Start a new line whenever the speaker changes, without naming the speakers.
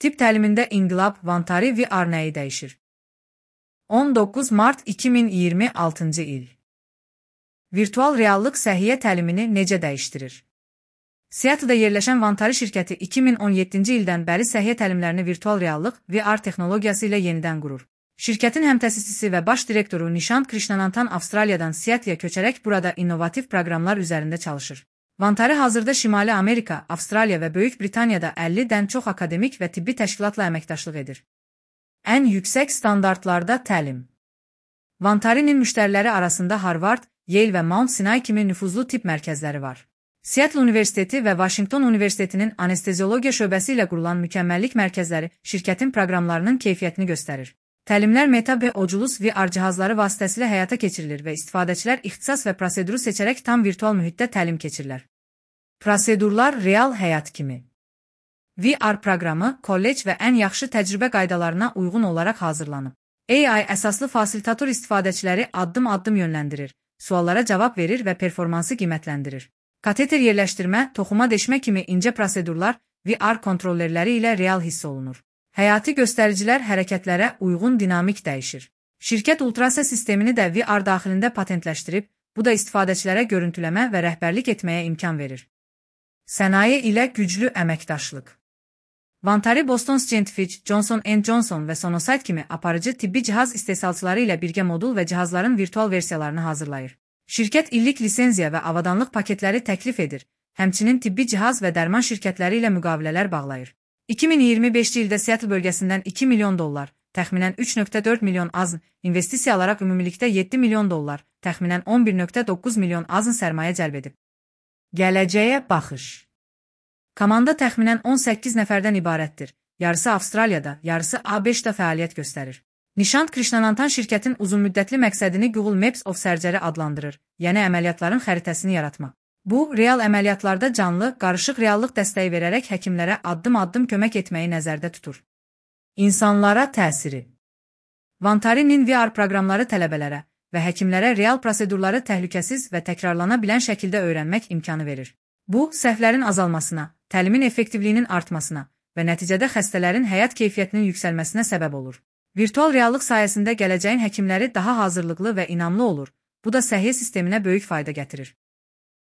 Tibb təlimində inqilab Vantari VR nəyi dəyişir? 19 mart 2026-cı il. Virtual reallıq səhiyyə təlimini necə dəyişdirir? Seattle'da yerləşən Vantari şirkəti 2017-ci ildən bəri səhiyyə təlimlərini virtual reallıq VR texnologiyası ilə yenidən qurur. Şirkətin həmtəsisçisi və baş direktoru Nishant Krishnanantan Avstraliyadan Seattle'a köçərək burada innovativ proqramlar üzərində çalışır. Vantari hazırda Şimali Amerika, Avstraliya və Böyük Britaniyada 50-dən çox akademik və tibbi təşkilatla əməkdaşlıq edir. Ən yüksək standartlarda təlim. Vantarinin müştəriləri arasında Harvard, Yale və Mount Sinai kimi nüfuzlu tibb mərkəzləri var. Seattle Universiteti və Washington Universitetinin anesteziologiya şöbəsi ilə qurulan mükəmməllik mərkəzləri şirkətin proqramlarının keyfiyyətini göstərir. Təlimlər Meta və Oculus VR cihazları vasitəsilə həyata keçirilir və istifadəçilər ixtisas və proseduru seçərək tam virtual mühitdə təlim keçirlər. Prosedurlar real həyat kimi. VR proqramı, kollec və ən yaxşı təcrübə qaydalarına uyğun olaraq hazırlanıb. AI əsaslı fasilitator istifadəçiləri addım-addım yönləndirir, suallara cavab verir və performansı qiymətləndirir. Kateter yerləşdirmə, toxuma deşmə kimi incə prosedurlar VR kontrollerləri ilə real hiss olunur. Həyati göstəricilər hərəkətlərə uyğun dinamik dəyişir. Şirkət ultrasa sistemini də VR daxilində patentləşdirib, bu da istifadəçilərə görüntüləmə və rəhbərlik etməyə imkan verir. Sənaye ilə güclü əməkdaşlıq. Vantari Boston Scientific, Johnson & Johnson və Sonosite kimi aparıcı tibbi cihaz istehsalçıları ilə birgə modul və cihazların virtual versiyalarını hazırlayır. Şirkət illik lisenziya və avadanlıq paketləri təklif edir, həmçinin tibbi cihaz və dərman şirkətləri ilə müqavilələr bağlayır. 2025-ci ildə Seattle bölgəsindən $2 milyon, təxminən 3,4 milyon AZN, investisiya alaraq ümumilikdə $7 milyon, təxminən 11,9 milyon AZN sərmayə cəlb edib. Gələcəyə baxış. Komanda təxminən 18 nəfərdən ibarətdir. Yarısı Avstraliyada, yarısı ABŞ-da fəaliyyət göstərir. Nishant Krishnanantan şirkətin uzunmüddətli məqsədini Google Maps of Surgery adlandırır, yəni əməliyyatların xəritəsini yaratmaq. Bu, real əməliyyatlarda canlı, qarışıq reallıq dəstəyi verərək həkimlərə addım-addım kömək etməyi nəzərdə tutur. İnsanlara təsiri. Vantarinin VR proqramları tələbələrə və həkimlərə real prosedurları təhlükəsiz və təkrarlana bilən şəkildə öyrənmək imkanı verir. Bu, səhvlərin azalmasına, təlimin effektivliyinin artmasına və nəticədə xəstələrin həyat keyfiyyətinin yüksəlməsinə səbəb olur. Virtual reallıq sayəsində gələcəyin həkimləri daha hazırlıqlı və inamlı olur. Bu da səhiyyə sisteminə böyük fayda gətirir.